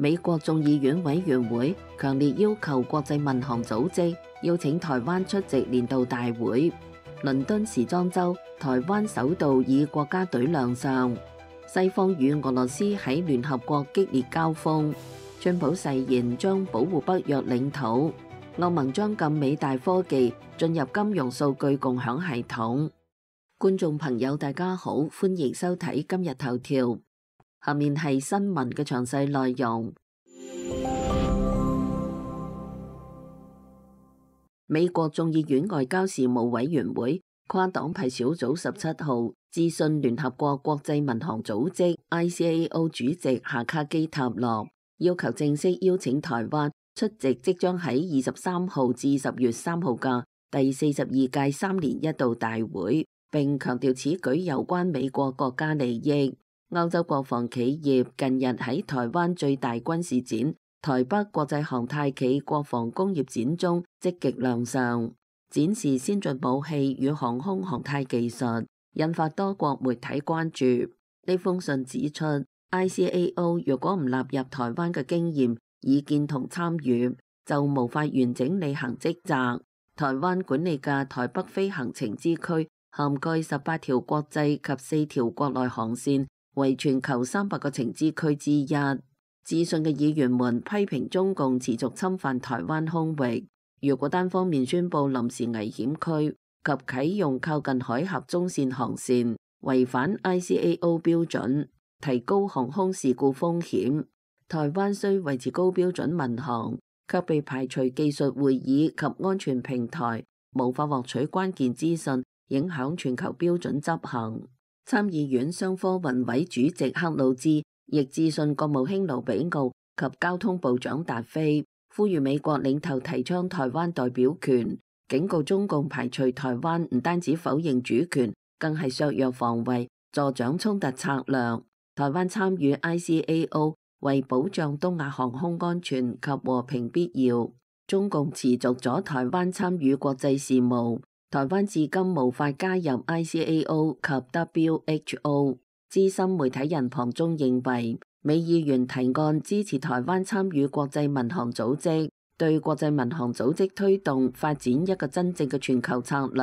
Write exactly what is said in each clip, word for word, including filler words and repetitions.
美國眾議院委員會強烈要求國際民航組織邀請台灣出席年度大會。倫敦時裝週，台灣首度以國家隊亮相。西方與俄羅斯喺聯合國激烈交鋒。川普誓言將保護北約領土。歐盟將禁美大科技進入金融數據共享系統。觀眾朋友大家好，歡迎收睇今日頭條。下面係新聞嘅詳細內容。美國眾議院外交事務委員會跨黨派小組十七號致信聯合國國際民航組織 I C A O 主席夏卡基塔諾，要求正式邀請台灣出席即將喺二十三號至十月三號嘅第四十二屆三年一度大會，並強調此舉有關美國國家利益。歐洲國防企業近日喺台灣最大軍事展台北國際航太暨國防工業展中積極亮相，展示先進武器與航空航太技術，引發多國媒體關注。呢封信指出 I C A O 若果唔納入台灣嘅經驗、意見同參與，就無法完整履行職責。台灣管理嘅台北飛行情資區涵蓋十八條國際及四條國內航線，為全球三百個情資區之一。致信嘅議員們批評中共持續侵犯台灣空域，如果單方面宣布臨時危險區及啟用靠近海峽中線航線，違反 I C A O 標準，提高航空事故風險。台灣需維持高標準民航，卻被排除技術會議及安全平台，無法獲取關鍵資訊，影響全球標準執行。參議院商科運委主席克魯茲亦致信國務卿盧比奧及交通部長達菲，呼籲美國領頭提倡台灣代表權，警告中共排除台灣唔單止否認主權，更係削弱防衛，助長衝突策略。台灣參與 I C A O 為保障東亞航空安全及和平必要，中共持續阻台灣參與國際事務。台灣至今無法加入 I C A O 及 W H O。資深媒體人龐中認為，美議員提案支持台灣參與國際民航組織，對國際民航組織推動發展一個真正嘅全球策略，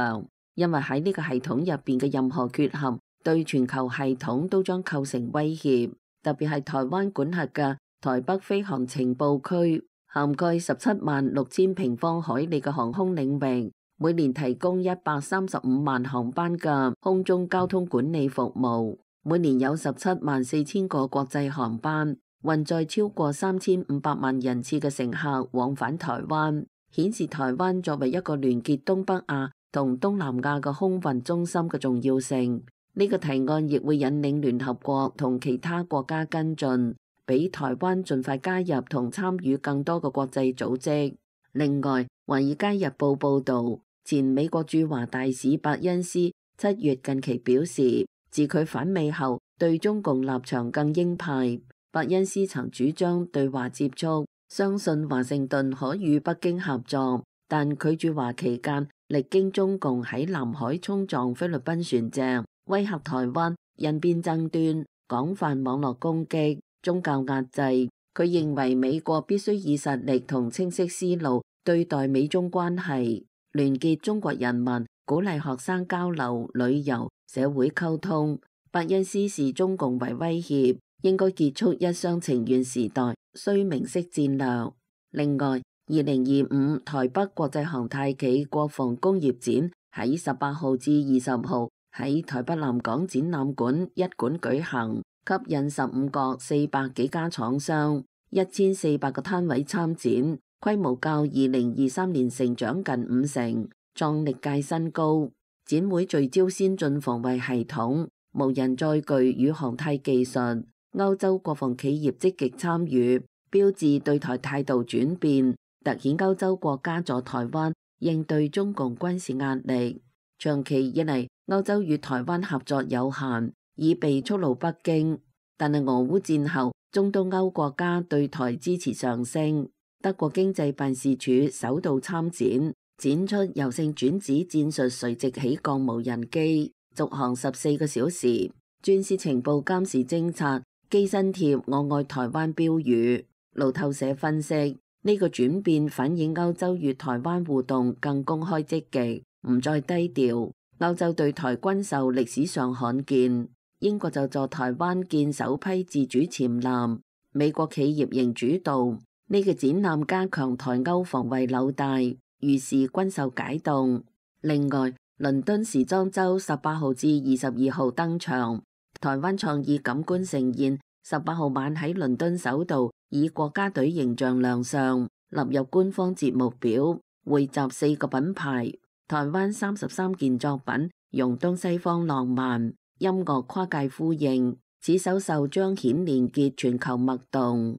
因為喺呢個系統入邊嘅任何缺陷，對全球系統都將構成威脅。特別係台灣管轄嘅台北飛航情報區，涵蓋十七萬六千平方海里嘅航空領域，每年提供一百三十五萬航班嘅空中交通管理服務，每年有十七萬四千個國際航班，運載超過三千五百萬人次嘅乘客往返台灣，顯示台灣作為一個聯結東北亞同東南亞嘅空運中心嘅重要性。呢個提案亦會引領聯合國同其他國家跟進，俾台灣盡快加入同參與更多嘅國際組織。另外，《華爾街日報》報導，前美國駐華大使伯恩斯七月近期表示，自佢返美後，對中共立場更鷹派。伯恩斯曾主張對華接觸，相信華盛頓可與北京合作，但佢駐華期間，歷經中共喺南海衝撞菲律賓船隻，威嚇台灣，印邊爭端，廣泛網絡攻擊，宗教壓制。佢認為美國必須以實力同清晰思路對待美中關係，聯結中國人民，鼓勵學生交流、旅遊、社會溝通。伯恩斯視中共為威脅，應該結束一廂情願時代，需明晰戰略。另外，二零二五台北國際航太暨國防工業展喺十八號至二十號喺台北南港展覽館一館舉行，吸引十五國四百幾家廠商、一千四百個攤位參展，規模較二零二三年成長近五成，創歷屆新高。展會聚焦先進防衛系統、無人載具與航太技術，歐洲國防企業積極參與，標誌對台態度轉變，凸顯歐洲國家助台灣應對中共軍事壓力。長期以嚟，歐洲與台灣合作有限，已被觸怒北京。但係俄烏戰後，中東歐國家對台支持上升。德國經濟辦事處首度參展，展出柔性轉子戰術垂直起降無人機，續航十四個小時，專司情報監視偵察，機身貼我愛台灣標語。路透社分析，呢個轉變反映歐洲與台灣互動更公開積極，唔再低調。歐洲對台軍售歷史上罕見，英國就助台灣建首批自主潛艦，美國企業仍主導。呢個展覽加強台歐防衛紐帶，預示軍售解凍。另外，倫敦時裝週十八號至二十二號登場，台灣創意感官盛宴十八號晚喺倫敦首度以國家隊形象亮相，納入官方節目表，匯集四個品牌。台灣三十三件作品，用東西方浪漫音樂跨界呼應，此首秀彰顯連結全球脈動。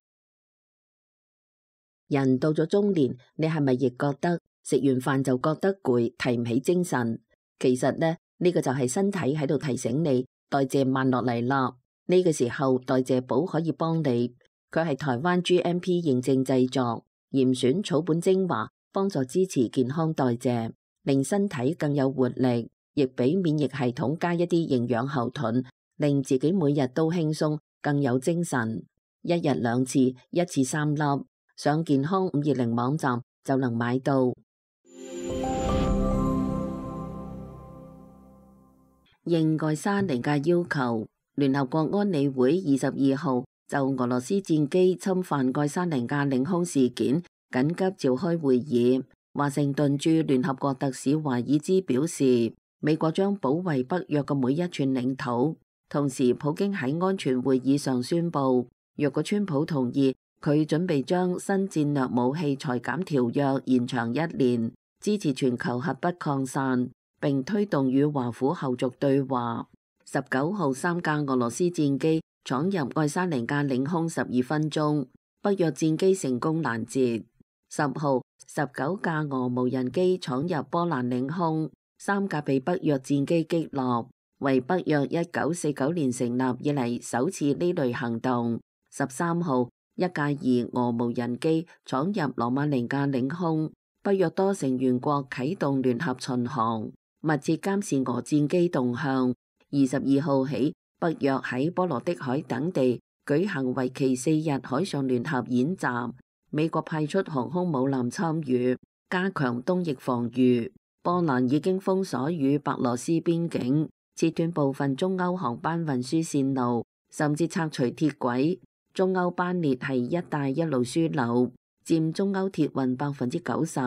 人到咗中年，你係咪亦覺得食完飯就覺得攰，提唔起精神？其實呢，呢個就係身體喺度提醒你代謝慢落嚟啦。呢個時候代謝寶可以幫你，佢係台灣 G M P 認證製作，嚴選草本精華，幫助支持健康代謝，令身體更有活力，亦俾免疫系統加一啲營養後盾，令自己每日都輕鬆，更有精神。一日兩次，一次三粒，上健康五二零網站就能買到。應愛沙尼亞要求，聯合國安理會二十二號就俄羅斯戰機侵犯愛沙尼亞領空事件緊急召開會議。華盛頓駐聯合國特使華爾茲表示，美國將保衛北約嘅每一寸領土。同時，普京喺安全會議上宣布，若果川普同意，佢準備將新戰略武器裁減條約延長一年，支持全球核不擴散，並推動與華府後續對話。十九號三架俄羅斯戰機闖入愛沙尼亞領空十二分鐘，北約戰機成功攔截。十號十九架俄無人機闖入波蘭領空，三架被北約戰機擊落，為北約一九四九年成立以嚟首次呢類行動。十三號一架疑俄無人機闖入羅馬尼亞領空，北約多成員國啟動聯合巡航，密切監視俄戰機動向。二十二號起，北約喺波羅的海等地舉行為期四日海上聯合演習。美國派出航空母艦參與，加強東翼防禦。波蘭已經封鎖與白羅斯邊境，切斷部分中歐航班運輸線路，甚至拆除鐵軌。中歐班列係一帶一路樞紐，佔中歐鐵運百分之九十。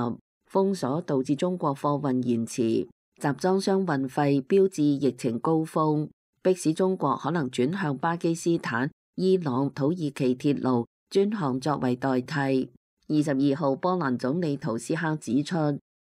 封鎖導致中國貨運延遲，集裝箱運費標誌疫情高峰，迫使中國可能轉向巴基斯坦、伊朗、土耳其鐵路專航作為代替。二十二號，波蘭總理圖斯克指出，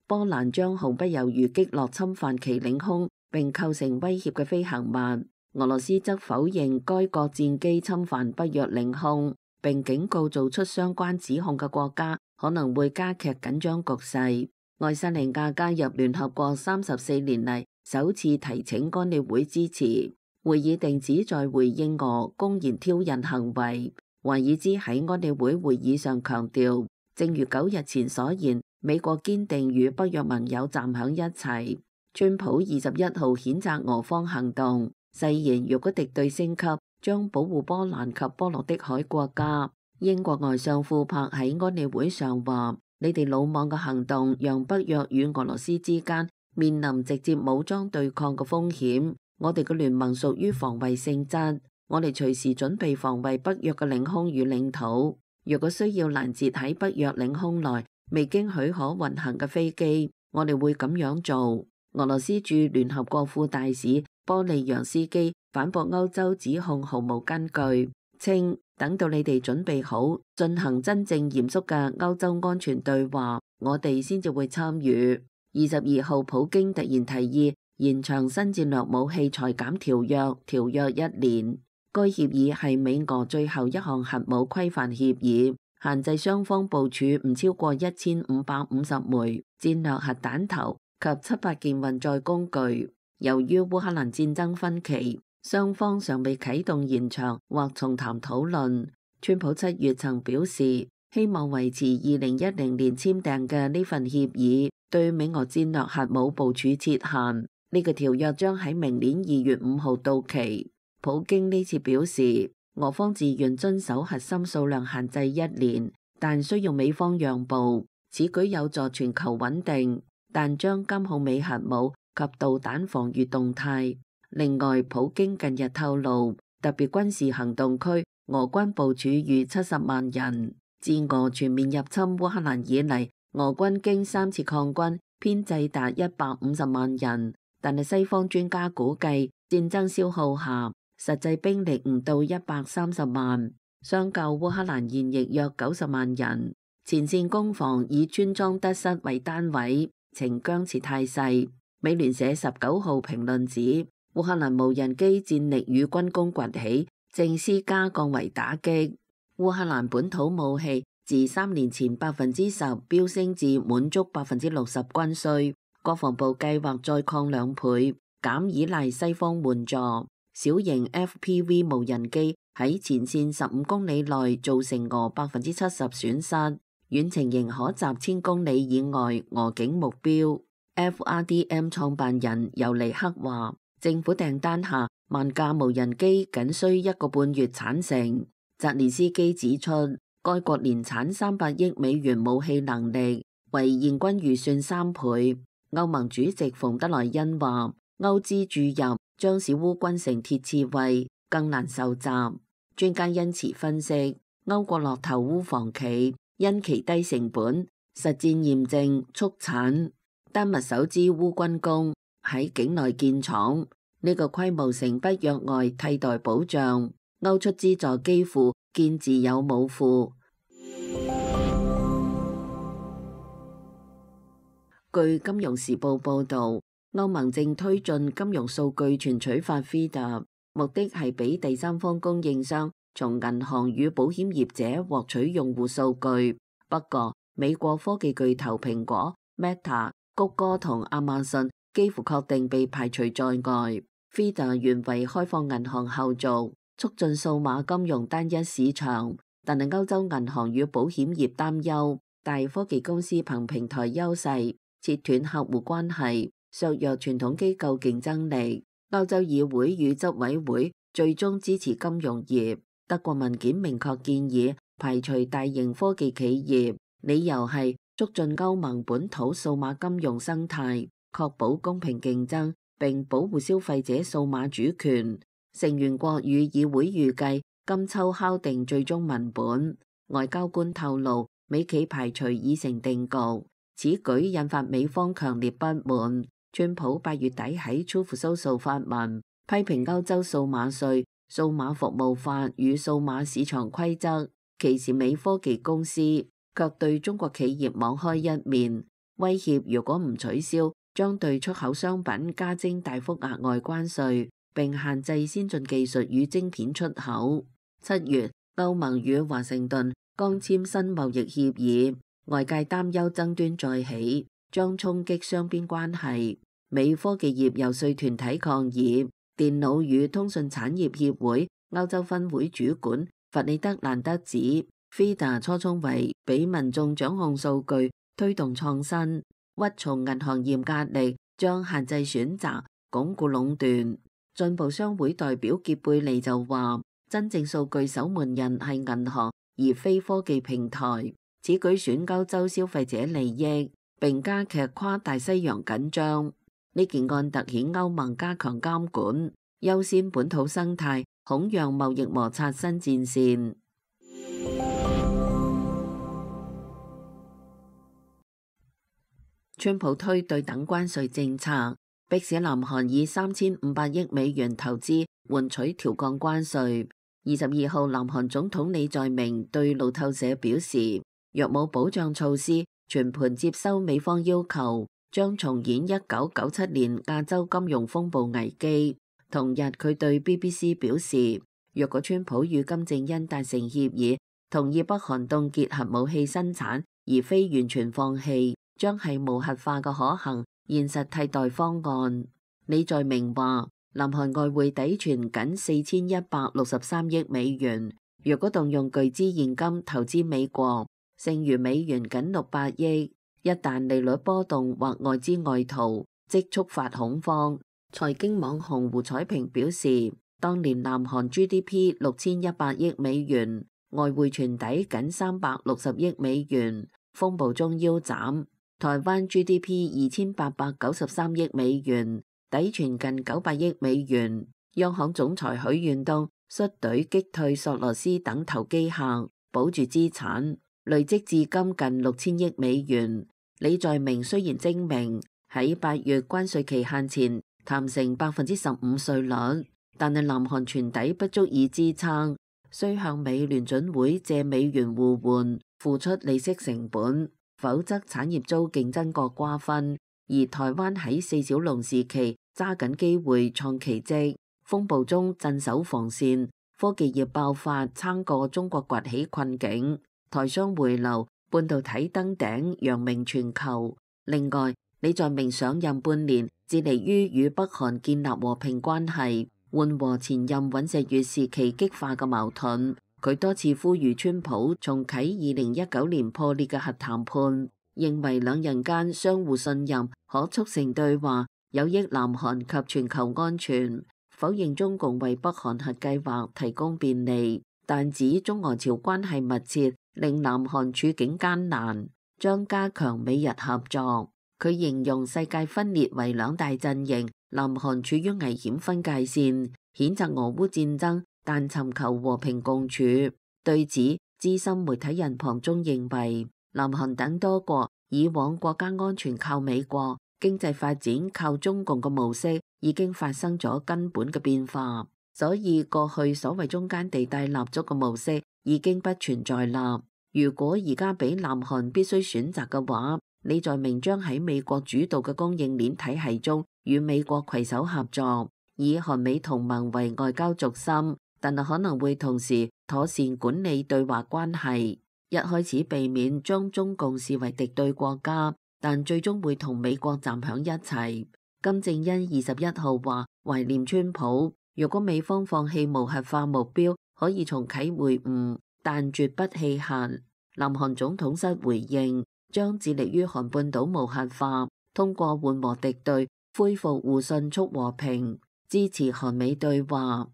波蘭將毫不猶豫擊落侵犯其領空並構成威脅嘅飛行物。俄羅斯則否認該國戰機侵犯北約領空，並警告做出相關指控嘅國家可能會加劇緊張局勢。愛沙尼亞加入聯合國三十四年嚟首次提請安理會支持，會議定旨在回應俄公然挑釁行為。華爾茲喺安理會會議上強調，正如九日前所言，美國堅定與北約盟友站響一齊。川普二十一號譴責俄方行動，誓言若果敵對升級，將保護波蘭及波羅的海國家。英國外相庫珀喺安理會上話：你哋魯莽嘅行動，讓北約與俄羅斯之間面臨直接武裝對抗嘅風險。我哋嘅聯盟屬於防衛性質。我哋隨時準備防衛北約嘅領空與領土。若果需要攔截喺北約領空內未經許可運行嘅飛機，我哋會咁樣做。俄羅斯駐聯合國副大使波利揚斯基反駁歐洲指控毫無根據，稱等到你哋準備好進行真正嚴肅嘅歐洲安全對話，我哋先至會參與。二十二號，普京突然提議延長新戰略武器裁減條約條約一年。該協議係美俄最後一項核武規範協議，限制雙方部署唔超過一千五百五十枚戰略核彈頭及七百件運載工具。由於烏克蘭戰爭分歧，雙方尚未啟動延長或重談討論。川普七月曾表示，希望維持二零一零年簽訂嘅呢份協議，對美俄戰略核武部署設限。呢個條約將喺明年二月五號到期。普京呢次表示，俄方自願遵守核心數量限制一年，但需要美方讓步。此舉有助全球穩定，但將監控美核武及導彈防禦動態。另外，普京近日透露，特別軍事行動區俄軍部署逾七十萬人。自俄全面入侵烏克蘭以嚟，俄軍經三次抗軍，編制達一百五十萬人。但係西方專家估計，戰爭消耗下，實際兵力唔到一百三十萬，相較烏克蘭現役約九十萬人。前線攻防以村莊得失為單位，呈僵持態勢。美聯社十九號評論指，烏克蘭無人機戰力與軍工崛起，正施加降維打擊。烏克蘭本土武器自三年前百分之十飆升至滿足百分之六十軍需，國防部計劃再擴兩倍，減依賴西方援助。小型 F P V 無人機喺前線十五公里內造成俄百分之七十損失，遠程仍可襲千公里以外俄警目標。F R D M 創辦人尤尼克話，政府訂單下萬架無人機僅需一個半月產成。澤連斯基指出，該國年產三百億美元武器能力，為現軍預算三倍。歐盟主席馮德萊恩話，歐資注入將使烏軍成鐵刺蝟，更難受襲。專家因此分析，歐國落頭烏防企，因其低成本、實戰驗證、速產。丹麥首支烏軍工喺境內建廠，呢、這個規模成不約外替代保障。歐出資助基輔建自有武庫。據金融時報報導，歐盟正推進金融數據存取法 F I D A， 目的係俾第三方供應商從銀行與保險業者獲取用戶數據。不過，美國科技巨頭蘋果、Meta、谷歌同亞馬遜幾乎確定被排除在外。F I D A 原為開放銀行後續，促進數碼金融單一市場，但係歐洲銀行與保險業擔憂，大科技公司憑平台優勢切斷客戶關係，削弱傳統機構競爭力。歐洲議會與執委會最終支持金融業。德國文件明確建議排除大型科技企業，理由係促進歐盟本土數碼金融生態，確保公平競爭並保護消費者數碼主權。成員國與議會預計今秋敲定最終文本。外交官透露，美企排除已成定局。此舉引發美方強烈不滿。川普八月底喺 Truth Social 發文，批評歐洲數碼稅、數碼服務法與數碼市場規則歧視美科技公司，卻對中國企業網開一面，威脅如果唔取消，將對出口商品加徵大幅額外關稅，並限制先進技術與晶片出口。七月，歐盟與華盛頓剛簽新貿易協議，外界擔憂爭端再起，將衝擊雙邊關係。美科技業遊說團體抗議，電腦與通訊產業協會歐洲分會主管弗里德蘭德指 F I D A 初衷為俾民眾掌控數據，推動創新，屈從銀行業壓力，將限制選擇，鞏固壟斷。進步商會代表傑貝利就話，真正數據守門人係銀行，而非科技平台。此舉損歐洲消費者利益，並加劇跨大西洋緊張。呢件案凸顯歐盟加強監管、優先本土生態，恐讓貿易摩擦新戰線。川普推對等關稅政策，迫使南韓以三千五百億美元投資換取調降關稅。二十二號，南韓總統李在明對路透社表示，若冇保障措施，全盤接收美方要求，將重演一九九七年亞洲金融風暴危機。同日，佢對 B B C 表示，若果川普與金正恩達成協議，同意北韓凍結核武器生產，而非完全放棄，將係無核化嘅可行現實替代方案。李在明話，南韓外匯抵存僅四千一百六十三億美元，若果動用巨資現金投資美國，剩餘美元僅六百億。一旦利率波動或外資外逃，即觸發恐慌。財經網紅胡彩平表示，當年南韓 G D P 六千一百億美元，外匯存底僅三百六十億美元，風暴中腰斬。台灣 G D P 二千八百九十三億美元，抵存近九百億美元。央行總裁許遠東率隊擊退索羅斯等投機客，保住資產，累積至今近六千億美元。李在明雖然精明，喺八月關稅期限前談成百分之十五稅率，但係南韓存底不足以支撐，需向美聯準會借美元互換，付出利息成本，否則產業遭競爭國瓜分。而台灣喺四小龍時期揸緊機會創奇蹟，風暴中鎮守防線，科技業爆發撐過中國崛起困境，台商回流，半導體登頂，揚名全球。另外，李在明上任半年，致力於與北韓建立和平關係，緩和前任尹錫悅時期激化嘅矛盾。佢多次呼籲川普重啟二零一九年破裂嘅核談判，認為兩人間相互信任，可促成對話，有益南韓及全球安全。否認中共為北韓核計劃提供便利，但指中俄朝關係密切，令南韓處境艱難，將加強美日合作。佢形容世界分裂為兩大陣營，南韓處於危險分界線，譴責俄烏戰爭，但尋求和平共處。對此，資深媒體人龐中認為，南韓等多國以往國家安全靠美國，經濟發展靠中共嘅模式已經發生咗根本嘅變化，所以過去所謂中間地帶立足嘅模式已經不存在啦。如果而家俾南韓必須選擇嘅話，李在明將喺美國主導嘅供應鏈體系中與美國攜手合作，以韓美同盟為外交軸心，但係可能會同時妥善管理對華關係。一開始避免將中共視為敵對國家，但最終會同美國站響一齊。金正恩二十一號話懷念川普，若果美方放棄無核化目標，可以重啟會晤，但絕不棄核。南韓總統室回應，將致力於韓半島無核化，通過緩和敵對，恢復互信促和平，支持韓美對話。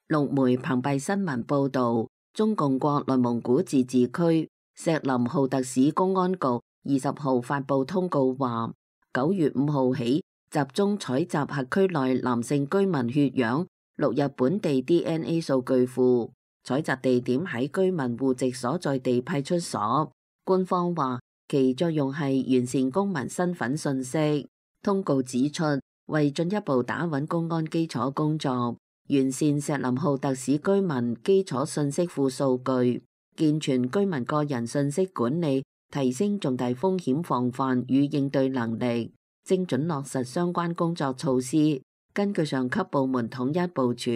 陸媒澎湃新聞報導，中共國內蒙古自治區錫林浩特市公安局二十號發布通告話，九月五號起集中採集轄區內男性居民血樣，錄入本地 D N A 數據庫，採集地點喺居民戶籍所在地派出所。官方話其作用係完善公民身份信息。通告指出，為進一步打穩公安基礎工作，完善錫林浩特市居民基礎信息庫數據，健全居民個人信息管理，提升重大風險防範與應對能力，精準落實相關工作措施。根據上級部門統一部署，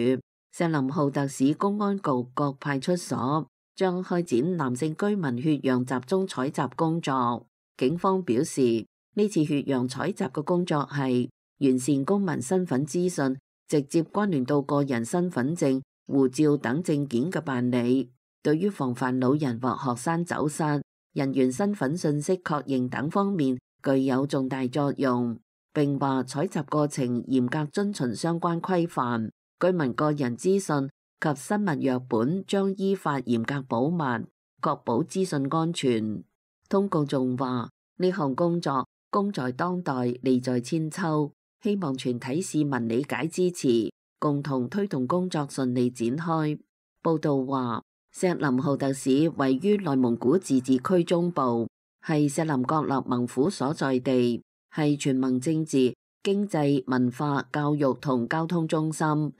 錫林浩特市公安局各派出所將開展男性居民血樣集中採集工作。警方表示，呢次血樣採集嘅工作係完善公民身份資訊，直接關聯到個人身份證、護照等證件嘅辦理，對於防範老人或學生走失、人員身份信息確認等方面具有重大作用。並話採集過程嚴格遵循相關規範，居民個人資訊及生物樣本將依法嚴格保密，確保資訊安全。通告仲話，呢項工作功在當代，利在千秋。希望全體市民理解支持，共同推動工作順利展開。報道話，錫林浩特市位於內蒙古自治區中部，係錫林郭勒盟府所在地，係全盟政治、經濟、文化、教育同交通中心。二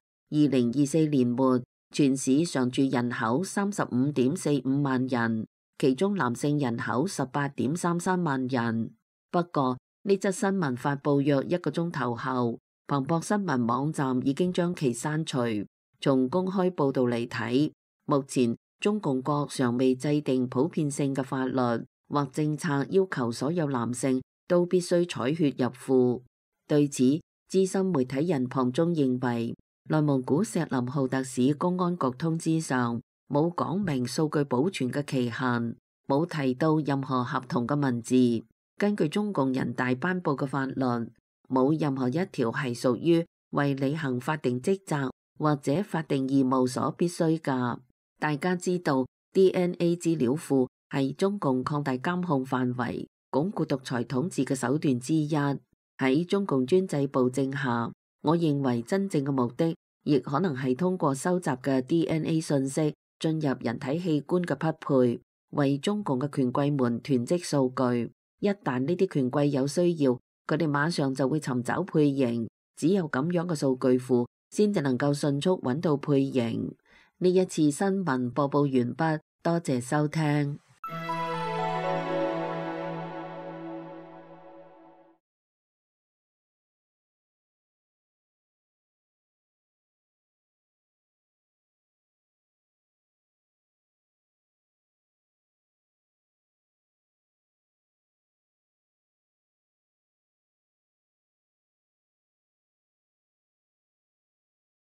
零二四年末，全市常住人口三十五點四五萬人，其中男性人口十八點三三萬人。不過，呢則新聞發佈約一個鐘頭後，彭博新聞網站已經將其刪除。從公開報導嚟睇，目前中共國尚未制定普遍性嘅法律或政策，要求所有男性都必須採血入庫。對此，資深媒體人龐中認為，內蒙古錫林浩特市公安局通知上冇講明數據保存嘅期限，冇提到任何合同嘅文字。根據中共人大頒布嘅法律，冇任何一條係屬於為履行法定職責或者法定義務所必須㗎。大家知道 D N A 資料庫係中共擴大監控範圍、鞏固獨裁統治嘅手段之一。喺中共專制暴政下，我認為真正嘅目的，亦可能係通過收集嘅 D N A 信息進入人體器官嘅匹配，為中共嘅權貴們囤積數據。一旦呢啲權貴有需要，佢哋馬上就會尋找配型。只有咁樣嘅數據庫，先至能夠迅速揾到配型。呢一次新聞播報完畢，多謝收聽。